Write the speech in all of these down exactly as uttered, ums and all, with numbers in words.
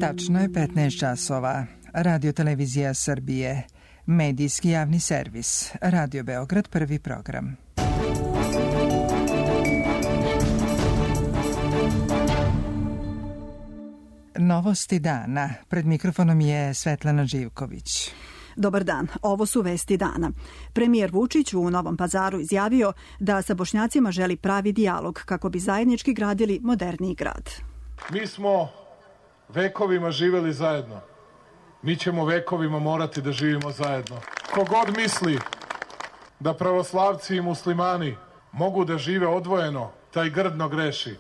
Tačno je petnaest časova. Radio Televizija Srbije. Medijski javni servis. Radio Beograd, prvi program. Novosti dana. Pred mikrofonom je Svetlana Živković. Dobar dan, ovo su vesti dana. Premijer Vučić u Novom Pazaru izjavio da sa Bošnjacima želi pravi dijalog kako bi zajednički gradili moderniji grad. Mi smo vekovima živeli zajedno. Mi ćemo vekovima morati da živimo zajedno. Kogod misli da pravoslavci i muslimani mogu da žive odvojeno, taj grdno greši.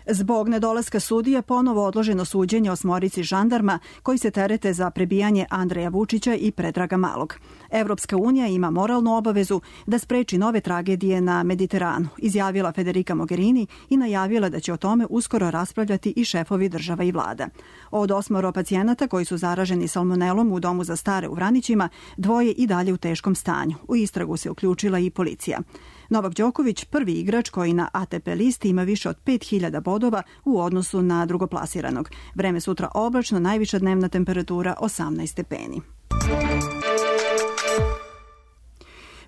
Zbog nedolaska sudija ponovo odloženo suđenje osmorici žandarma koji se terete za prebijanje Andreja Vučića i Predraga Malog. Evropska unija ima moralnu obavezu da spreči nove tragedije na Mediteranu, izjavila Federica Mogherini i najavila da će o tome uskoro raspravljati i šefovi država i vlada. Od osmoro pacijenata koji su zaraženi salmonelom u domu za stare u Vranićima, dvoje i dalje u teškom stanju. U istragu se uključila i policija. Novak Đoković, prvi igrač koji na A T P listi ima više od pet hiljada bodova u odnosu na drugoplasiranog. Vreme sutra oblačno, najviša dnevna temperatura osamnaest stepeni.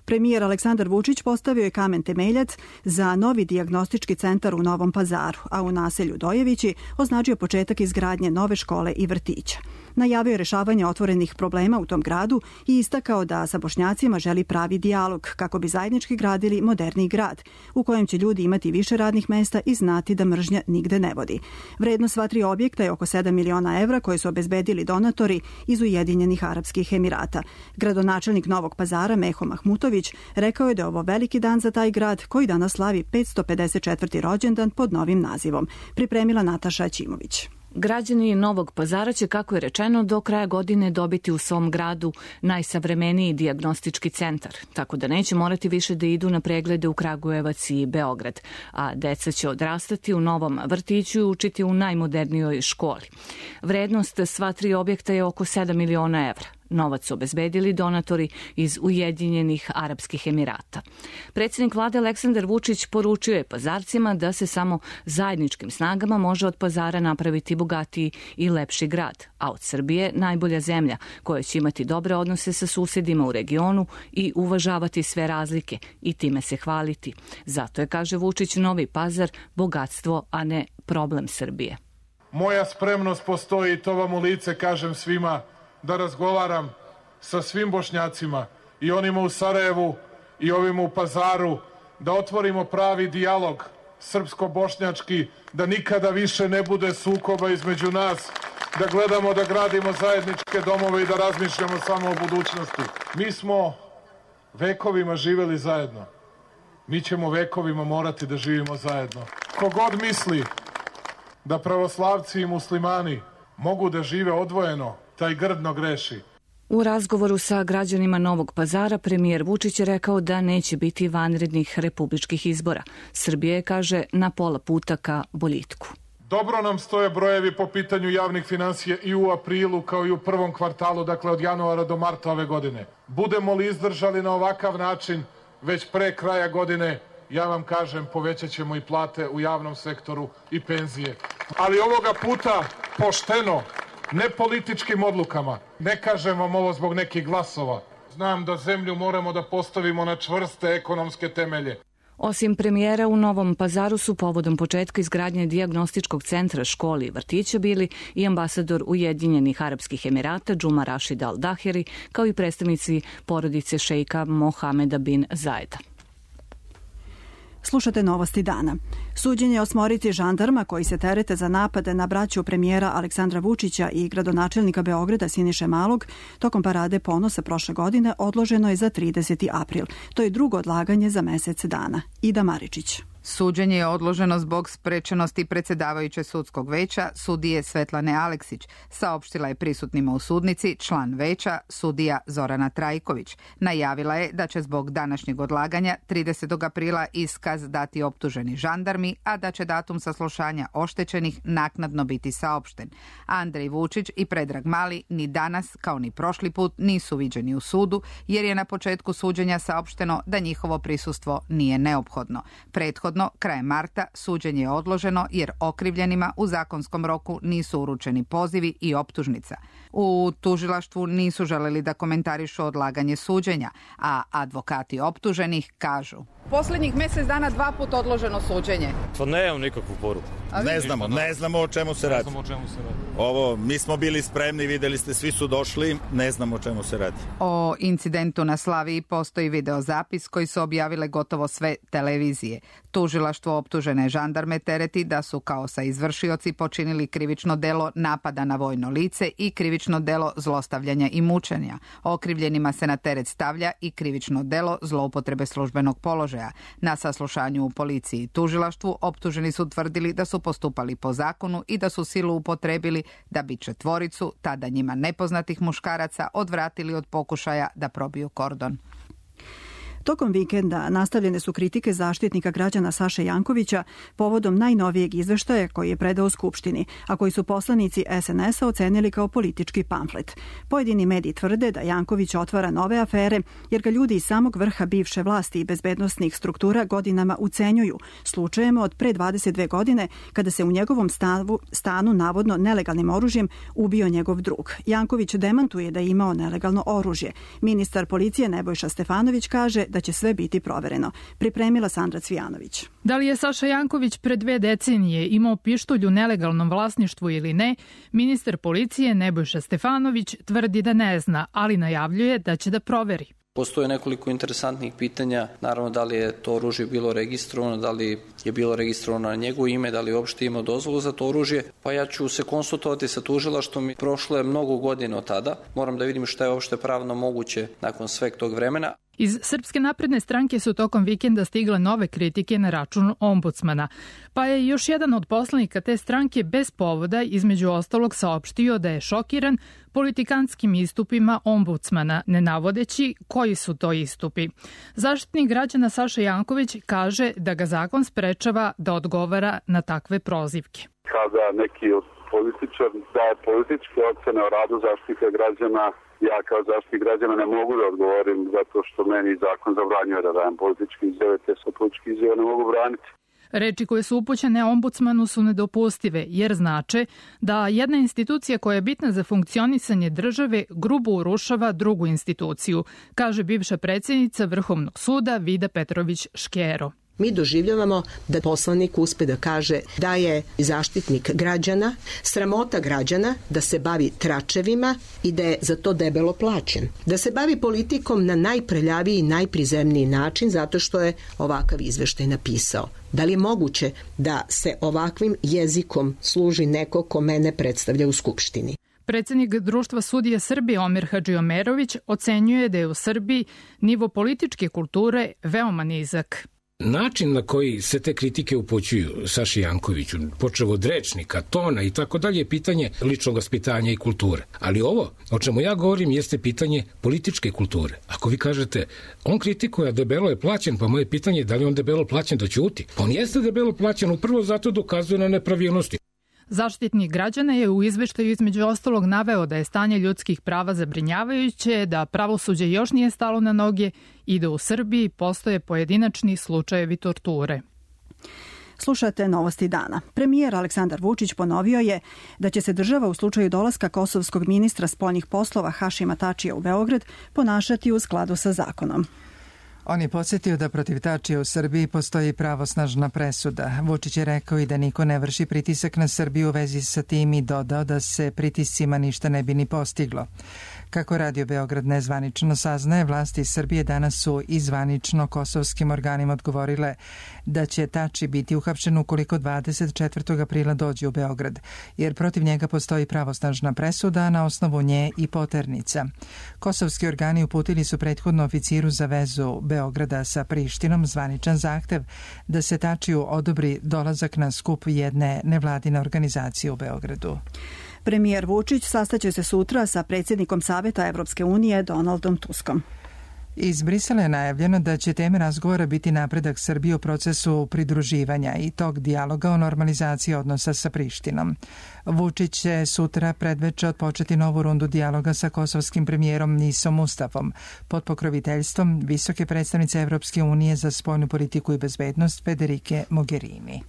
Premijer Aleksandar Vučić postavio je kamen temeljac za novi dijagnostički centar u Novom Pazaru, a u naselju Dojevići označio početak izgradnje nove škole i vrtića. Najavio je rešavanje otvorenih problema u tom gradu i istakao da sa Bošnjacima želi pravi dijalog kako bi zajednički gradili moderniji grad u kojem će ljudi imati više radnih mesta i znati da mržnja nigde ne vodi. Vrednost sva tri objekta je oko sedam miliona evra koje su obezbedili donatori iz Ujedinjenih Arapskih Emirata. Gradonačelnik Novog Pazara Meho Mahmutović rekao je da je ovo veliki dan za taj grad koji danas slavi petsto pedeset četvrti rođendan pod novim nazivom. Pripremila Nataša Ćimović. Građani Novog Pazara će, kako je rečeno, do kraja godine dobiti u svom gradu najsavremeniji dijagnostički centar, tako da neće morati više da idu na preglede u Kragujevac i Beograd, a deca će odrastati u novom vrtiću i učiti u najmodernijoj školi. Vrednost sva tri objekta je oko sedam miliona evra. Novac su obezbedili donatori iz Ujedinjenih Arapskih Emirata. Predsjednik vlade Aleksandar Vučić poručio je Pazarcima da se samo zajedničkim snagama može od Pazara napraviti bogatiji i lepši grad, a od Srbije najbolja zemlja koja će imati dobre odnose sa susedima u regionu i uvažavati sve razlike i time se hvaliti. Zato je, kaže Vučić, Novi Pazar bogatstvo, a ne problem Srbije. Moja spremnost postoji, to vam u lice kažem svima, da razgovaram sa svim Bošnjacima i onima u Sarajevu i ovima u Pazaru, da otvorimo pravi dijalog srpsko-bošnjački, da nikada više ne bude sukoba između nas, da gledamo da gradimo zajedničke domove i da razmišljamo samo o budućnosti. Mi smo vekovima živeli zajedno. Mi ćemo vekovima morati da živimo zajedno. Kogod misli da pravoslavci i muslimani mogu da žive odvojeno, taj grdno greši. U razgovoru sa građanima Novog Pazara premijer Vučić je rekao da neće biti vanrednih republičkih izbora. Srbija je, kaže, na pola puta ka boljitku. Dobro nam stoje brojevi po pitanju javnih finansija i u aprilu kao i u prvom kvartalu, dakle od januara do marta ove godine. Budemo li izdržali na ovakav način već pre kraja godine, ja vam kažem, povećat ćemo i plate u javnom sektoru i penzije. Ali ovoga puta pošteno, ne političkim odlukama. Ne kažem vam ovo zbog nekih glasova. Znam da zemlju moramo da postavimo na čvrste ekonomske temelje. Osim premijera, u Novom Pazaru su povodom početka izgradnje dijagnostičkog centra, školi i vrtića bili i ambasador Ujedinjenih Arapskih Emirata Džuma Rašid Al Daheri, kao i predstavnici porodice šejka Mohameda bin Zajeda. Slušate novosti dana. Suđenje osmorici žandarma koji se terete za napade na braću premijera Aleksandra Vučića i gradonačelnika Beograda Siniše Malog tokom parade ponosa prošle godine odloženo je za trideseti april. To je drugo odlaganje za mesec dana. Ida Maričić. Suđenje je odloženo zbog sprečenosti predsjedavajuće sudskog veća sudije Svetlane Aleksić, saopštila je prisutnima u sudnici član veća sudija Zorana Trajković. Najavila je da će zbog današnjeg odlaganja tridesetog aprila iskaz dati optuženi žandarmi, a da će datum saslušanja oštećenih naknadno biti saopšten. Andrej Vučić i Predrag Mali ni danas, kao ni prošli put, nisu viđeni u sudu, jer je na početku suđenja saopšteno da njihovo prisustvo nije neophodno. Prethodno Prethodno, krajem marta, suđenje je odloženo jer okrivljenima u zakonskom roku nisu uručeni pozivi i optužnica. U tužilaštvu nisu želeli da komentarišu odlaganje suđenja, a advokati optuženih kažu: Poslednjih mjesec dana dva put odloženo suđenje. Pa nemam nikakvu poruku. Ne znamo, ne znamo o čemu se radi. Ne znamo o čemu se radi. Ovo, mi smo bili spremni, videli ste, svi su došli, ne znamo o čemu se radi. O incidentu na Slaviji postoji videozapis koji su objavile gotovo sve televizije. Tužilaštvo optužene žandarme tereti da su kao sa izvršioci počinili krivično delo napada na vojno lice i krivično delo zlostavljanja i mučenja. Okrivljenima se na teret stavlja i krivično delo zloupotrebe službenog položaja. Na saslušanju u policiji i tužilaštvu optuženi su tvrdili da su postupali po zakonu i da su silu upotrebili da bi četvoricu, tada njima nepoznatih muškaraca, odvratili od pokušaja da probiju kordon. Tokom vikenda nastavljene su kritike Zaštitnika građana Saše Jankovića povodom najnovijeg izveštaja koji je predao Skupštini, a koji su poslanici es en es a ocenili kao politički pamflet. Pojedini mediji tvrde da Janković otvara nove afere jer ga ljudi iz samog vrha bivše vlasti i bezbednosnih struktura godinama ucenjuju, slučajemo od pre dvadeset dve godine kada se u njegovom stavu, stanu navodno nelegalnim oružjem ubio njegov drug. Janković demantuje da je imao nelegalno oružje. Ministar policije Nebojša Stefanović kaže da će sve biti provereno. Pripremila Sandra Cvijanović. Da li je Saša Janković pre dve decenije imao pištolj u nelegalnom vlasništvu ili ne, ministar policije Nebojša Stefanović tvrdi da ne zna, ali najavljuje da će da proveri. Postoje nekoliko interesantnih pitanja, naravno da li je to oružje bilo registrovano, da li je bilo registrovano na njegovo ime, da li je uopšte imao dozvolu za to oružje, pa ja ću se konsultovati sa tužilaštvom. Prošlo je mnogo godina od tada, moram da vidim šta je uopšte pravno moguće nakon sveg tog vremena. Iz Srpske napredne stranke su tokom vikenda stigle nove kritike na račun ombudsmana, pa je još jedan od poslanika te stranke bez povoda između ostalog saopštio da je šokiran politikanskim istupima ombudsmana, ne navodeći koji su to istupi. Zaštitnik građana Saša Janković kaže da ga zakon sprečava da odgovara na takve prozivke. Kada neki od političar daje političke ocene o radu Zaštitnika građana, ja kao zaštitnik građana ne mogu da odgovorim zato što meni zakon zabranjuje da dajem političke izjave, te se političke izjave ne mogu braniti. Reči koje su upućene ombudsmanu su nedopustive, jer znače da jedna institucija koja je bitna za funkcionisanje države grubo urušava drugu instituciju, kaže bivša predsjednica Vrhovnog suda Vida Petrović Škero. Mi doživljavamo da poslanik uspe da kaže da je zaštitnik građana, sramota građana, da se bavi tračevima i da je za to debelo plaćen. Da se bavi politikom na najprljaviji i najprizemniji način zato što je ovakav izveštaj napisao. Da li je moguće da se ovakvim jezikom služi neko ko mene predstavlja u Skupštini? Predsjednik Društva sudija Srbije Omer Hadžiomerović ocenjuje da je u Srbiji nivo političke kulture veoma nizak. Način na koji se te kritike upućuju Saši Jankoviću, počev od rečnika, tona i tako dalje, je pitanje ličnog vaspitanja i kulture. Ali ovo, o čemu ja govorim, jeste pitanje političke kulture. Ako vi kažete, on kritikuje, debelo je plaćen, pa moje pitanje je da li on debelo plaćen da ćuti. On jeste debelo plaćen, upravo zato dokazuje na nepravilnosti. Zaštitnik građana je u izveštaju između ostalog naveo da je stanje ljudskih prava zabrinjavajuće, da pravosuđe još nije stalo na noge i da u Srbiji postoje pojedinačni slučajevi torture. Slušate Novosti dana. Premijer Aleksandar Vučić ponovio je da će se država u slučaju dolaska kosovskog ministra spoljnih poslova Hašima Tačija u Beograd ponašati u skladu sa zakonom. On je podsjetio da protiv Tačija u Srbiji postoji pravosnažna presuda. Vučić je rekao i da niko ne vrši pritisak na Srbiju u vezi sa tim i dodao da se pritiscima ništa ne bi ni postiglo. Kako Radio Beograd nezvanično saznaje, vlasti Srbije danas su i zvanično kosovskim organima odgovorile da će Tači biti uhapšen ukoliko dvadeset četvrtog aprila dođe u Beograd, jer protiv njega postoji pravosnažna presuda, na osnovu nje i poternica. Kosovski organi uputili su prethodno oficiru za vezu Beograda sa Prištinom zvaničan zahtev da se Tačiju odobri dolazak na skup jedne nevladine organizacije u Beogradu. Premijer Vučić sastaće se sutra sa predsjednikom Saveta Evropske unije Donaldom Tuskom. Iz Brisela je najavljeno da će teme razgovora biti napredak Srbije u procesu pridruživanja i tog dijaloga o normalizaciji odnosa sa Prištinom. Vučić će sutra predveče odpočeti novu rundu dijaloga sa kosovskim premijerom Nisom Mustafom pod pokroviteljstvom visoke predstavnice Evropske unije za spoljnu politiku i bezbednost Federike Mogherini.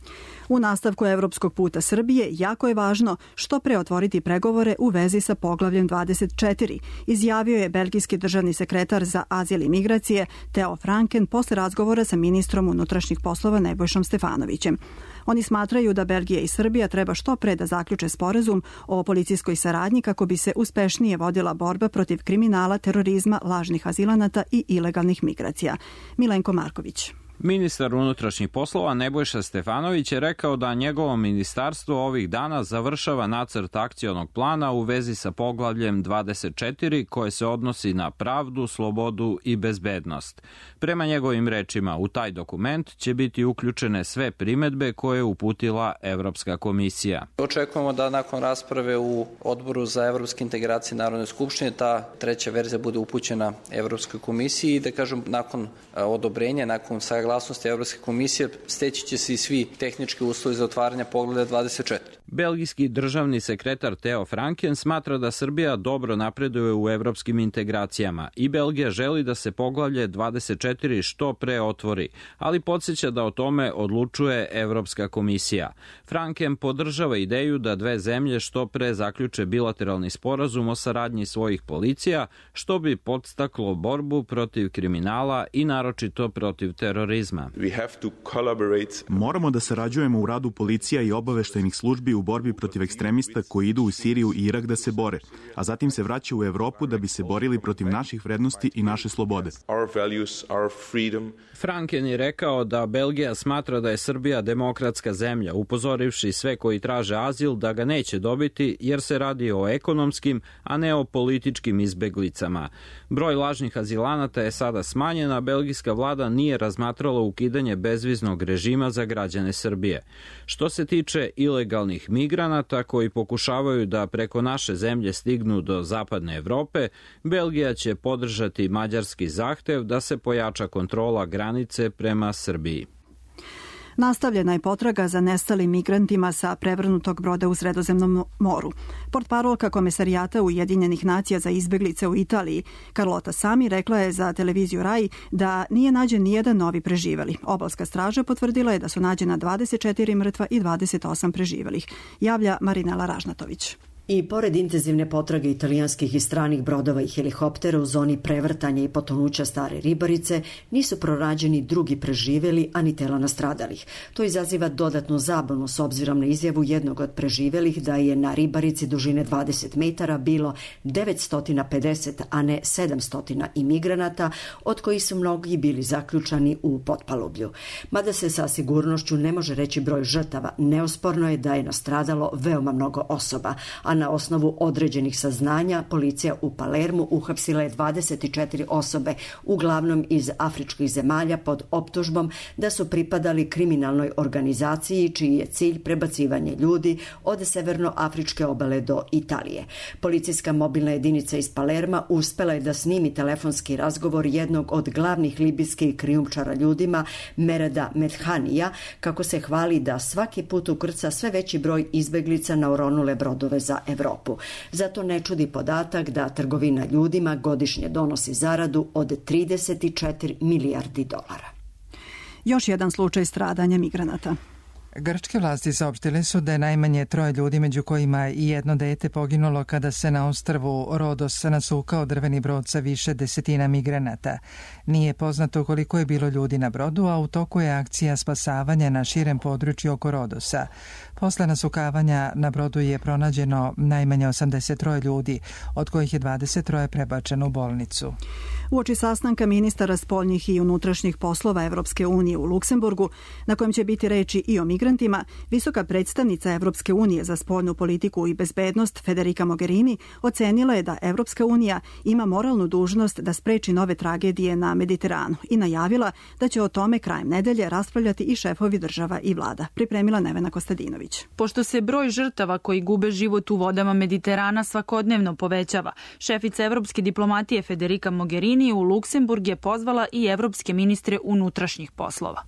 U nastavku evropskog puta Srbije jako je važno što pre otvoriti pregovore u vezi sa poglavljem dvadeset četiri, izjavio je belgijski državni sekretar za azil i migracije Theo Franken posle razgovora sa ministrom unutrašnjih poslova Nebojšom Stefanovićem. Oni smatraju da Belgija i Srbija treba što pre da zaključe sporazum o policijskoj saradnji kako bi se uspešnije vodila borba protiv kriminala, terorizma, lažnih azilanata i ilegalnih migracija. Milenko Marković. Ministar unutrašnjih poslova Nebojša Stefanović je rekao da njegovo ministarstvo ovih dana završava nacrt akcionog plana u vezi sa poglavljem dvadeset četiri koje se odnosi na pravdu, slobodu i bezbednost. Prema njegovim rečima, u taj dokument će biti uključene sve primedbe koje je uputila Evropska komisija. Očekujemo da nakon rasprave u Odboru za evropske integracije Narodne skupštine ta treća verzija bude upućena Evropskoj komisiji i da kažem nakon odobrenja, nakon saglasnosti Evropske komisije steći će se i svi tehnički uslovi za otvaranje poglavlja dvadeset četiri. Belgijski državni sekretar Theo Franken smatra da Srbija dobro napreduje u evropskim integracijama i Belgija želi da se poglavlje dvadeset četiri što pre otvori, ali podsjeća da o tome odlučuje Evropska komisija. Franken podržava ideju da dve zemlje što pre zaključe bilateralni sporazum o saradnji svojih policija, što bi podstaklo borbu protiv kriminala i naročito protiv terorizma. Moramo da sarađujemo u radu policija i obaveštajnih službi u borbi protiv ekstremista koji idu u Siriju i Irak da se bore, a zatim se vraćaju u Evropu da bi se borili protiv naših vrednosti i naše slobode. Franken je rekao da Belgija smatra da je Srbija demokratska zemlja, upozorivši sve koji traže azil da ga neće dobiti jer se radi o ekonomskim, a ne o političkim izbeglicama. Broj lažnih azilanata je sada smanjen, a belgijska vlada nije razmatrala ukidanje bezviznog režima za građane Srbije. Što se tiče ilegalnih migranata koji pokušavaju da preko naše zemlje stignu do zapadne Evrope, Belgija će podržati mađarski zahtev da se pojača kontrola granice prema Srbiji. Nastavljena je potraga za nestalim migrantima sa prevrnutog broda u Sredozemnom moru. Portparolka Komesarijata Ujedinjenih nacija za izbeglice u Italiji, Carlota Sami, rekla je za televiziju Rai da nije nađen nijedan novi preživeli. Obalska straža potvrdila je da su nađena dvadeset četiri mrtva i dvadeset osam preživelih. Javlja Marinela Ražnatović. I pored intenzivne potrage italijanskih i stranih brodova i helikoptera u zoni prevrtanja i potonuća Stare Ribarice nisu pronađeni drugi preživeli, a ni tela nastradalih. To izaziva dodatnu zabunu s obzirom na izjavu jednog od preživelih da je na Ribarici dužine dvadeset metara bilo devetsto pedeset, a ne sedamsto imigranata, od kojih su mnogi bili zaključani u potpalublju. Mada se sa sigurnošću ne može reći broj žrtava, neosporno je da je nastradalo veoma mnogo osoba, a na osnovu određenih saznanja policija u Palermu uhapsila je dvadeset četiri osobe, uglavnom iz afričkih zemalja, pod optužbom da su pripadali kriminalnoj organizaciji čiji je cilj prebacivanje ljudi od severnoafričke obale do Italije. Policijska mobilna jedinica iz Palerma uspela je da snimi telefonski razgovor jednog od glavnih libijskih krijumčara ljudima, Mereda Medhanija, kako se hvali da svaki put ukrca sve veći broj izbeglica na oronule brodove za Evropu. Zato ne čudi podatak da trgovina ljudima godišnje donosi zaradu od trideset četiri milijardi dolara. Još jedan slučaj stradanja migranata. Grčke vlasti saopštile su da je najmanje troje ljudi, među kojima i jedno dete, poginulo kada se na ostrvu Rodos nasukao drveni brod sa više desetina migranata. Nije poznato koliko je bilo ljudi na brodu, a u toku je akcija spasavanja na širem području oko Rodosa. Posle nasukavanja na brodu je pronađeno najmanje osamdeset troje ljudi, od kojih je dvadeset troje prebačeno u bolnicu. Uoči sastanka ministara spoljnih i unutrašnjih poslova Evropske unije u Luksemburgu, na kojem će biti reči i o migrantima, migrantima, visoka predstavnica Evropske unije za spoljnu politiku i bezbednost Federica Mogherini ocenila je da Evropska unija ima moralnu dužnost da spreči nove tragedije na Mediteranu i najavila da će o tome krajem nedelje raspravljati i šefovi država i vlada. Pripremila Nevena Kostadinović. Pošto se broj žrtava koji gube život u vodama Mediterana svakodnevno povećava, šefica evropske diplomatije Federica Mogherini u Luksemburg je pozvala i evropske ministre unutrašnjih poslova.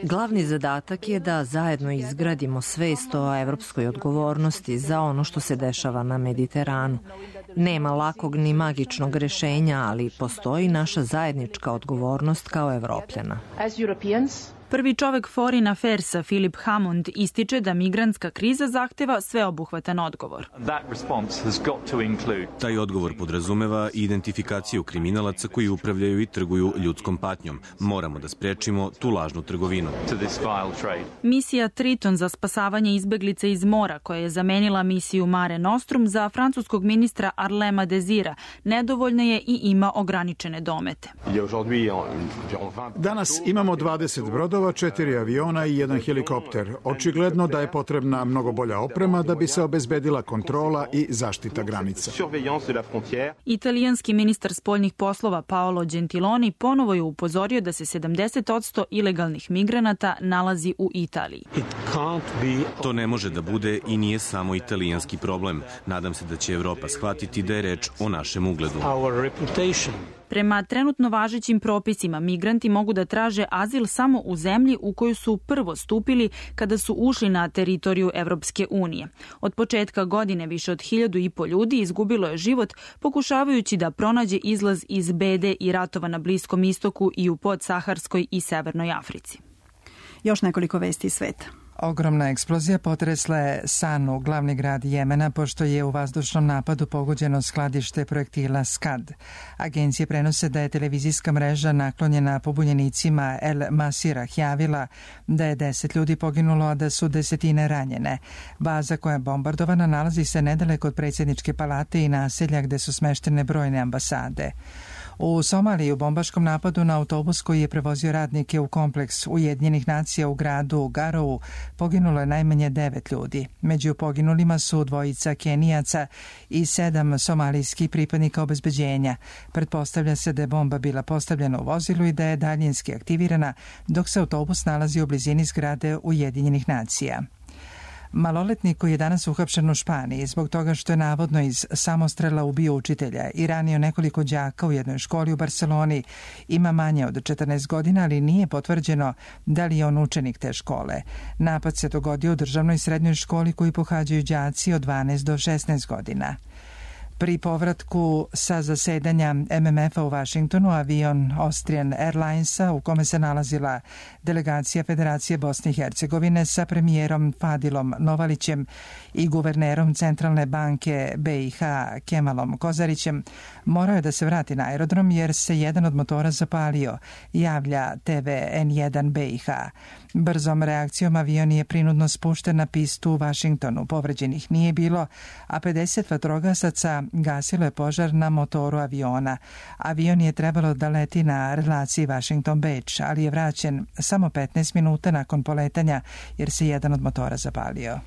Glavni zadatak je da zajedno izgradimo svest o evropskoj odgovornosti za ono što se dešava na Mediteranu. Nema lakog ni magičnog rešenja, ali postoji naša zajednička odgovornost kao Evropljana. Prvi čovek Foreign Affairsa Philip Hammond ističe da migrantska kriza zahteva sveobuhvatan odgovor. Taj odgovor podrazumeva identifikaciju kriminalaca koji upravljaju i trguju ljudskom patnjom. Moramo da sprečimo tu lažnu trgovinu. Misija Triton za spasavanje izbeglica iz mora, koja je zamenila misiju Mare Nostrum, za francuskog ministra Arlema Desira nedovoljna je i ima ograničene domete. Danas imamo dvadeset brodova, četiri aviona i jedan helikopter. Očigledno da je potrebna mnogo bolja oprema da bi se obezbedila kontrola i zaštita granica. Italijanski ministar spoljnih poslova Paolo Gentiloni ponovo je upozorio da se sedamdeset posto ilegalnih migranata nalazi u Italiji. To ne može da bude i nije samo italijanski problem. Nadam se da će Evropa shvatiti da je reč o našem ugledu. Prema trenutno važećim propisima, migranti mogu da traže azil samo u zemlji u koju su prvo stupili kada su ušli na teritoriju Evropske unije. Od početka godine više od hiljadu i po ljudi izgubilo je život pokušavajući da pronađe izlaz iz bede i ratova na Bliskom istoku i u podsaharskoj i Severnoj Africi. Još nekoliko vesti iz sveta. Ogromna eksplozija potresla je Sanu, glavni grad Jemena, pošto je u vazdušnom napadu pogođeno skladište projektila Skad. Agencije prenose da je televizijska mreža naklonjena pobunjenicima El Masirah javila da je deset ljudi poginulo, a da su desetine ranjene. Baza koja je bombardovana nalazi se nedaleko od predsjedničke palate i naselja gde su smeštene brojne ambasade. U Somaliji u bombaškom napadu na autobus koji je prevozio radnike u kompleks Ujedinjenih nacija u gradu Garovu poginulo je najmanje devet ljudi. Među poginulima su dvojica Kenijaca i sedam somalijskih pripadnika obezbeđenja. Pretpostavlja se da je bomba bila postavljena u vozilu i da je daljinski aktivirana dok se autobus nalazi u blizini zgrade Ujedinjenih nacija. Maloletnik koji je danas uhapšen u Španiji zbog toga što je navodno iz samostrela ubio učitelja i ranio nekoliko đaka u jednoj školi u Barseloni ima manje od četrnaest godina, ali nije potvrđeno da li je on učenik te škole. Napad se dogodio u državnoj srednjoj školi koju pohađaju đaci od dvanaest do šesnaest godina. Pri povratku sa zasedanja M M F-a u Vašingtonu avion Austrian Airlinesa u kome se nalazila delegacija Federacije Bosne i Hercegovine sa premijerom Fadilom Novalićem i guvernerom Centralne banke B i H Kemalom Kozarićem morao je da se vrati na aerodrom jer se jedan od motora zapalio, javlja T V N jedan B i H. Brzom reakcijom avion je prinudno spušten na pistu u Vašingtonu. Povređenih nije bilo, a pedeset vatrogasaca gasilo je požar na motoru aviona. Avion je trebalo da leti na relaciji Washington-Beč, ali je vraćen samo petnaest minuta nakon poletanja jer se jedan od motora zapalio.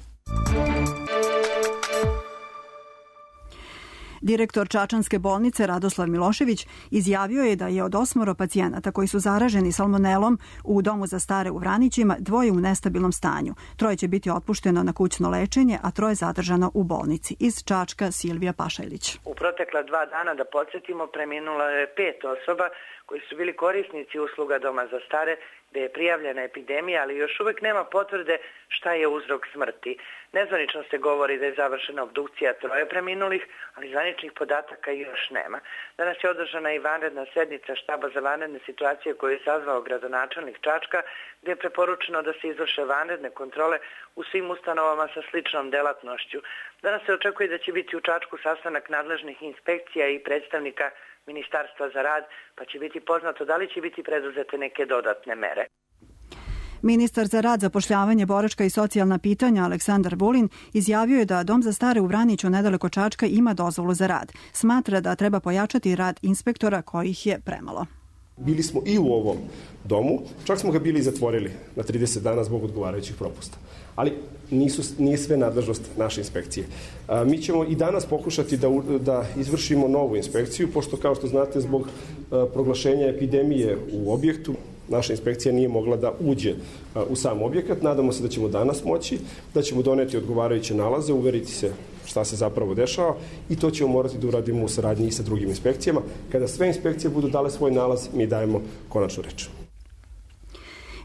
Direktor Čačanske bolnice Radoslav Milošević izjavio je da je od osmoro pacijenata koji su zaraženi salmonelom u domu za stare u Vranićima dvoje u nestabilnom stanju. Troje će biti otpušteno na kućno lečenje, a troje zadržano u bolnici. Iz Čačka Silvija Pašajlić. U protekla dva dana, da podsjetimo, preminulo je pet osoba koji su bili korisnici usluga doma za stare, gde je prijavljena epidemija, ali još uvek nema potvrde šta je uzrok smrti. Nezvanično se govori da je završena obdukcija troje preminulih, ali zvaničnih podataka još nema. Danas je održana i vanredna sednica štaba za vanredne situacije koju je sazvao gradonačelnik Čačka, gde je preporučeno da se izvrše vanredne kontrole u svim ustanovama sa sličnom delatnošću. Danas se očekuje da će biti u Čačku sastanak nadležnih inspekcija i predstavnika Ministarstva za rad, pa će biti poznato da li će biti preduzete neke dodatne mere. Ministar za rad, zapošljavanje, boračka i socijalna pitanja Aleksandar Vulin izjavio je da Dom za stare u Vraniću nedaleko Čačka ima dozvolu za rad. Smatra da treba pojačati rad inspektora kojih je premalo. Bili smo i u ovom domu, čak smo ga bili zatvorili na trideset dana zbog odgovarajućih propusta. Ali nisu, nije sve nadležnost naše inspekcije. A, mi ćemo i danas pokušati da, da izvršimo novu inspekciju, pošto kao što znate zbog a, proglašenja epidemije u objektu, naša inspekcija nije mogla da uđe a, u sam objekat. Nadamo se da ćemo danas moći, da ćemo doneti odgovarajuće nalaze, uveriti se šta se zapravo dešava i to ćemo morati da uradimo u saradnji i sa drugim inspekcijama. Kada sve inspekcije budu dale svoj nalaz, mi dajemo konačnu reč.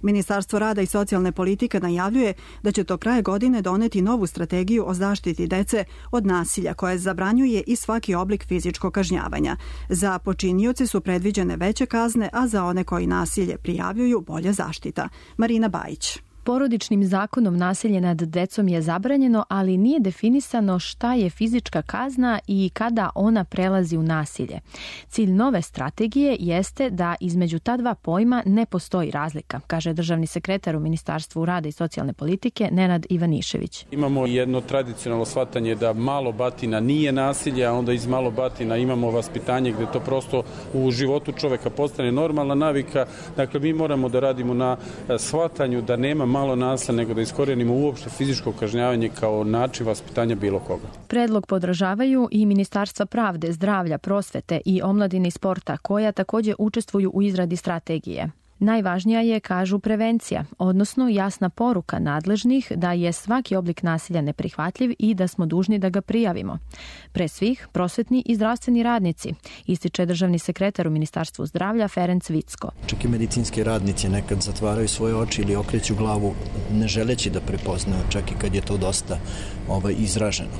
Ministarstvo rada i socijalne politike najavljuje da će do kraja godine doneti novu strategiju o zaštiti dece od nasilja koja zabranjuje i svaki oblik fizičkog kažnjavanja. Za počinioce su predviđene veće kazne, a za one koji nasilje prijavljuju bolja zaštita. Marina Bajić. Porodičnim zakonom nasilje nad decom je zabranjeno, ali nije definisano šta je fizička kazna i kada ona prelazi u nasilje. Cilj nove strategije jeste da između ta dva pojma ne postoji razlika, kaže državni sekretar u Ministarstvu rada i socijalne politike Nenad Ivanišević. Imamo jedno tradicionalno shvatanje da malo batina nije nasilje, a onda iz malo batina imamo vaspitanje gde to prosto u životu čoveka postane normalna navika. Dakle, mi moramo da radimo na shvatanju da nema malo nasilja, nego da iskorijenimo uopšte fizičko kažnjavanje kao način vaspitanja bilo koga. Predlog podržavaju i Ministarstva pravde, zdravlja, prosvete i omladine i sporta, koja također učestvuju u izradi strategije. Najvažnija je, kažu, prevencija, odnosno jasna poruka nadležnih da je svaki oblik nasilja neprihvatljiv i da smo dužni da ga prijavimo. Pre svih, prosvetni i zdravstveni radnici, ističe državni sekretar u Ministarstvu zdravlja Ferenc Vicko. Čak i medicinski radnici nekad zatvaraju svoje oči ili okreću glavu ne želeći da prepoznaju, čak i kad je to dosta ovaj, izraženo.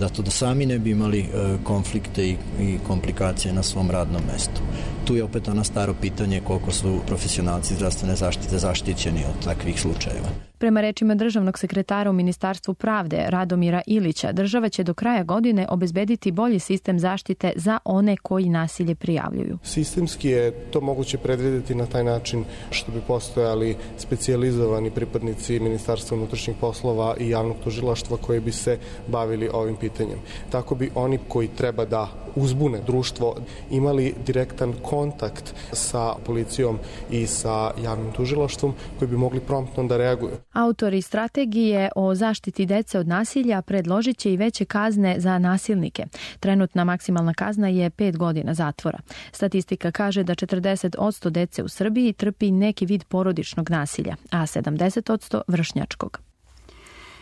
Da to da sami ne bi imali e, konflikte i, i komplikacije na svom radnom mestu. Tu je opet ono staro pitanje koliko su profesionalci zdravstvene zaštite zaštićeni od takvih slučajeva. Prema rečima državnog sekretara u Ministarstvu pravde Radomira Ilića, država će do kraja godine obezbediti bolji sistem zaštite za one koji nasilje prijavljuju. Sistemski je to moguće predvidjeti na taj način što bi postojali specijalizovani pripadnici Ministarstva unutrašnjih poslova i javnog tužilaštva koji bi se bavili ovim pitanjem. Tako bi oni koji treba da uzbune društvo imali direktan kontakt sa policijom i sa javnim tužilaštvom koji bi mogli promptno da reaguju. Autori strategije o zaštiti dece od nasilja predložit će i veće kazne za nasilnike. Trenutna maksimalna kazna je pet godina zatvora. Statistika kaže da četrdeset posto dece u Srbiji trpi neki vid porodičnog nasilja, a sedamdeset posto vršnjačkog.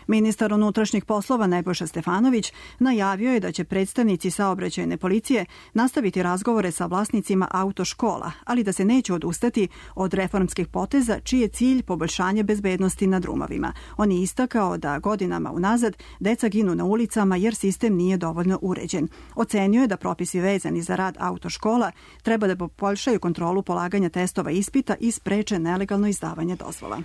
Ministar unutrašnjih poslova Nebojša Stefanović najavio je da će predstavnici saobraćajne policije nastaviti razgovore sa vlasnicima autoškola, ali da se neće odustati od reformskih poteza čiji je cilj poboljšanje bezbednosti na drumovima. On je istakao da godinama unazad deca ginu na ulicama jer sistem nije dovoljno uređen. Ocenio je da propisi vezani za rad autoškola treba da poboljšaju kontrolu polaganja testova ispita i spreče nelegalno izdavanje dozvola.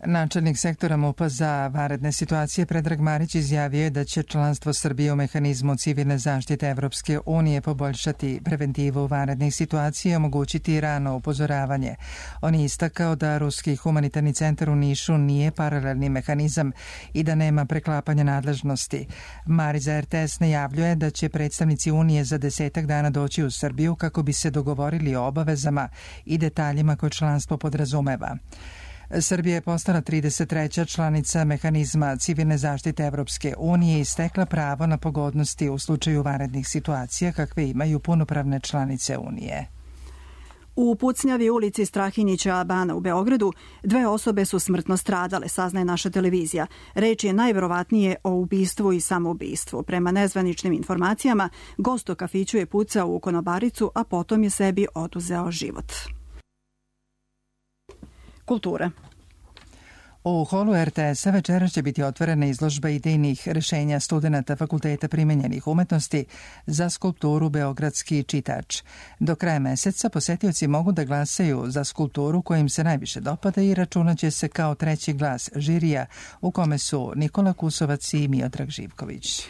Načelnik sektora MUP-a za vanredne situacije Predrag Marić izjavio je da će članstvo Srbije u mehanizmu civilne zaštite Evropske unije poboljšati preventivu vanrednih situacija i omogućiti rano upozoravanje. On je istakao da Ruski humanitarni centar u Nišu nije paralelni mehanizam i da nema preklapanja nadležnosti. Marić za R T S najavljuje da će predstavnici Unije za desetak dana doći u Srbiju kako bi se dogovorili o obavezama i detaljima koje članstvo podrazumeva. Srbija je postala trideset treća članica mehanizma civilne zaštite Evropske unije i stekla pravo na pogodnosti u slučaju vanrednih situacija kakve imaju punopravne članice Unije. U pucnjavi ulici Strahinjića Bana u Beogradu dve osobe su smrtno stradale, saznaje naša televizija. Reč je najverovatnije o ubistvu i samoubistvu. Prema nezvaničnim informacijama, gost u kafiću je pucao u konobaricu, a potom je sebi oduzeo život. Kultura. U holu R T S-a večeras će biti otvorena izložba idejnih rešenja studenata Fakulteta primenjenih umetnosti za skulpturu Beogradski čitač. Do kraja meseca posetioci mogu da glasaju za skulpturu koja im se najviše dopada i računaće se kao treći glas žirija u kome su Nikola Kusovac i Miodrag Živković.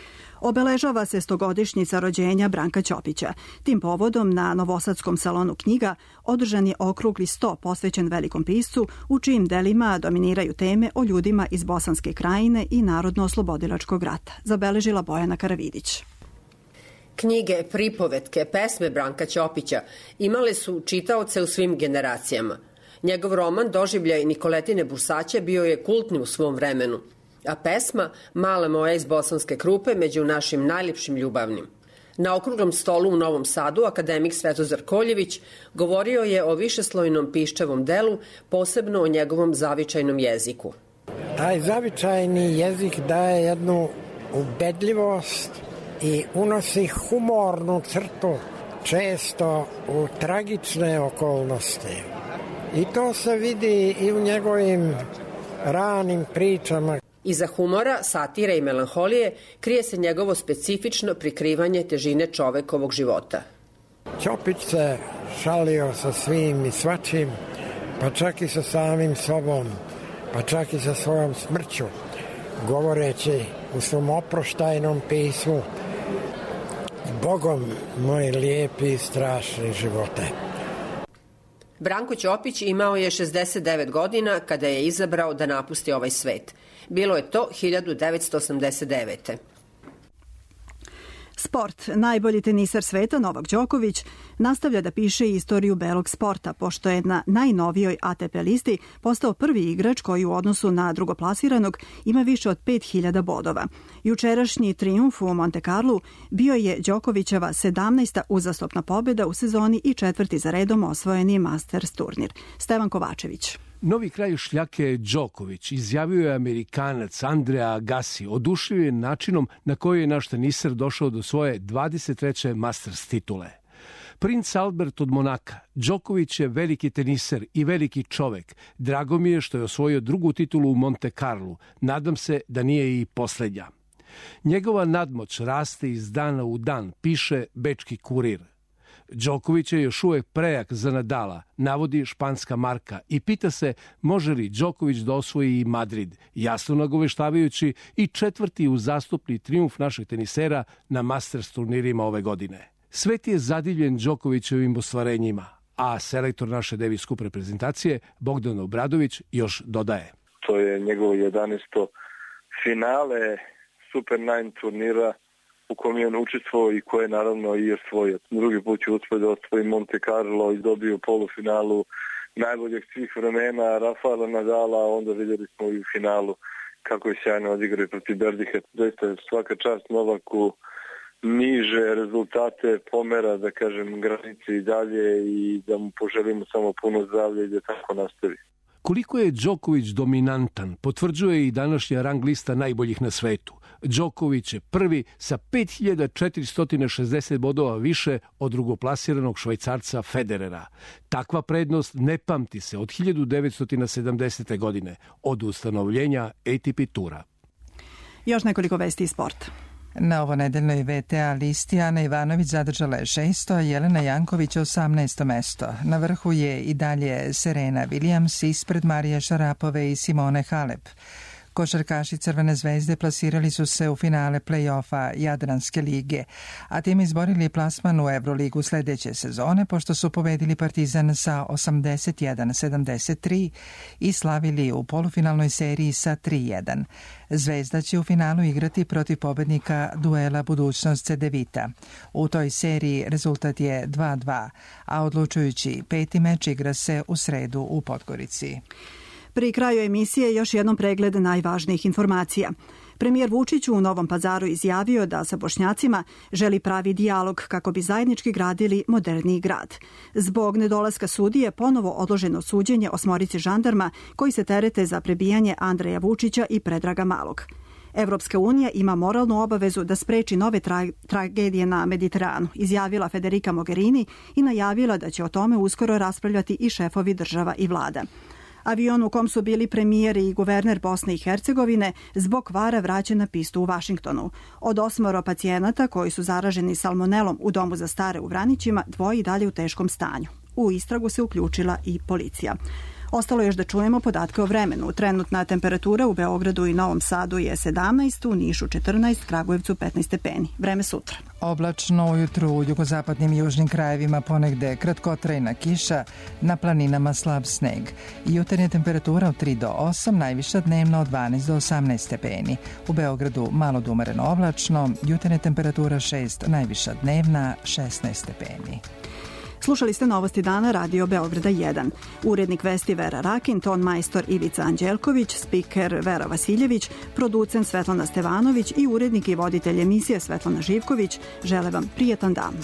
Obeležava se stogodišnjica rođenja Branka Ćopića. Tim povodom na Novosadskom salonu knjiga održan je okrugli sto posvećen velikom piscu u čijim delima dominiraju teme o ljudima iz Bosanske krajine i Narodno-oslobodilačkog rata, zabeležila Bojana Karavidić. Knjige, pripovetke, pesme Branka Ćopića imale su čitaoce u svim generacijama. Njegov roman Doživljaj Nikoletine Bursaće bio je kultni u svom vremenu, a pesma Mala moja iz Bosanske Krupe među našim najljepšim ljubavnim. Na okruglom stolu u Novom Sadu akademik Svetozar Koljević govorio je o višeslojnom piščevom delu, posebno o njegovom zavičajnom jeziku. Taj zavičajni jezik daje jednu ubedljivost i unosi humornu crtu, često u tragične okolnosti. I to se vidi i u njegovim ranim pričama. Iza humora, satire i melanholije krije se njegovo specifično prikrivanje težine čovekovog života. Ćopić se šalio sa svim i svačim, pa čak i sa samim sobom, pa čak i sa svojom smrću, govoreći u svom oproštajnom pismu: Bogom moj lijepi i strašni živote. Branko Ćopić imao je šezdeset devet godina kada je izabrao da napusti ovaj svet. Bilo je to hiljadu devetsto osamdeset devete. Sport. Najbolji teniser sveta Novak Đoković nastavlja da piše istoriju belog sporta, pošto je na najnovijoj A T P listi postao prvi igrač koji u odnosu na drugoplasiranog ima više od pet hiljada bodova. Jučerašnji trijumf u Monte Carlu bio je Đokovićeva sedamnaesta uzastopna pobjeda u sezoni i četvrti za redom osvojeni Masters turnir. Stevan Kovačević. Novi kraj šljake Đoković, izjavio je Amerikanac Andrea Agassi, oduševljen načinom na koji je naš teniser došao do svoje dvadeset treće Masters titule. Princ Albert od Monaka, Đoković je veliki teniser i veliki čovek. Drago mi je što je osvojio drugu titulu u Monte Carlu. Nadam se da nije i poslednja. Njegova nadmoć raste iz dana u dan, piše Bečki kurir. Đoković je još uvek prejak za Nadala, navodi španska marka, i pita se može li Đoković da osvoji i Madrid, jasno nagoveštavajući i četvrti uzastopni trijumf našeg tenisera na Masters turnirima ove godine. Svet je zadivljen Đokovićevim ostvarenjima, a selektor naše Davis Cup reprezentacije Bogdan Obradović još dodaje. To je njegovo jedanaesto finale Super devet turnira u kom je on učestvovao i koje je naravno i osvojio. Drugi put će uspjeti da osvoji Monte Carlo i dobio polufinalu najboljeg svih vremena Rafaela Nadala, a onda vidjeli smo i u finalu kako je sjajno odigrao protiv Berdiha. Doista je svaka čast Novaku, niže rezultate pomera, da kažem, granice i dalje, i da mu poželimo samo puno zdravlja i da tako nastavi. Koliko je Đoković dominantan, potvrđuje i današnja rang lista najboljih na svetu. Đoković je prvi sa pet hiljada četiristo šezdeset bodova više od drugoplasiranog Švajcarca Federera. Takva prednost ne pamti se od hiljadu devetsto sedamdesete. godine, od ustanovljenja A T P tura. Još nekoliko vesti iz sporta. Na ovonedeljnoj V T A listi Ana Ivanović zadržala je šesto, a Jelena Janković osamnaesto mesto. Na vrhu je i dalje Serena Williams ispred Marije Šarapove i Simone Halep. Košarkaši Crvene zvezde plasirali su se u finale play-offa Jadranske lige, a tim izborili plasman u Evroligu sledeće sezone, pošto su pobedili Partizan sa osamdeset jedan sedamdeset tri i slavili u polufinalnoj seriji sa tri jedan. Zvezda će u finalu igrati protiv pobednika duela Budućnost Cedevita. U toj seriji rezultat je dva dva, a odlučujući peti meč igra se u sredu u Podgorici. Pri kraju emisije još jednom pregled najvažnijih informacija. Premijer Vučić u Novom Pazaru izjavio da sa Bošnjacima želi pravi dijalog kako bi zajednički gradili moderniji grad. Zbog nedolaska sudije ponovo odloženo suđenje osmorici žandarma koji se terete za prebijanje Andreja Vučića i Predraga Malog. Evropska unija ima moralnu obavezu da spreči nove tra- tragedije na Mediteranu, izjavila Federica Mogherini i najavila da će o tome uskoro raspravljati i šefovi država i vlada. Avion u kom su bili premijer i guverner Bosne i Hercegovine zbog kvara vraćen na pistu u Vašingtonu. Od osmoro pacijenata koji su zaraženi salmonelom u domu za stare u Vranićima, dvoje i dalje u teškom stanju. U istragu se uključila i policija. Ostalo je još da čujemo podatke o vremenu. Trenutna temperatura u Beogradu i Novom Sadu je sedamnaest, u Nišu četrnaest, Kragujevcu petnaest stepeni. Vreme sutra. Oblačno ujutru u jugozapadnim i južnim krajevima ponegde kratkotrajna kiša, na planinama slab sneg. Jutarnja temperatura od tri do osam, najviša dnevna od dvanaest do osamnaest stepeni. U Beogradu malo do umereno oblačno, jutarnja temperatura šest, najviša dnevna šesnaest stepeni. Slušali ste Novosti dana Radio Beograda jedan. Urednik vesti Vera Rakin, ton majstor Ivica Anđelković, spiker Vera Vasiljević, producent Svetlana Stevanović i urednik i voditelj emisije Svetlana Živković. Žele vam prijetan dan.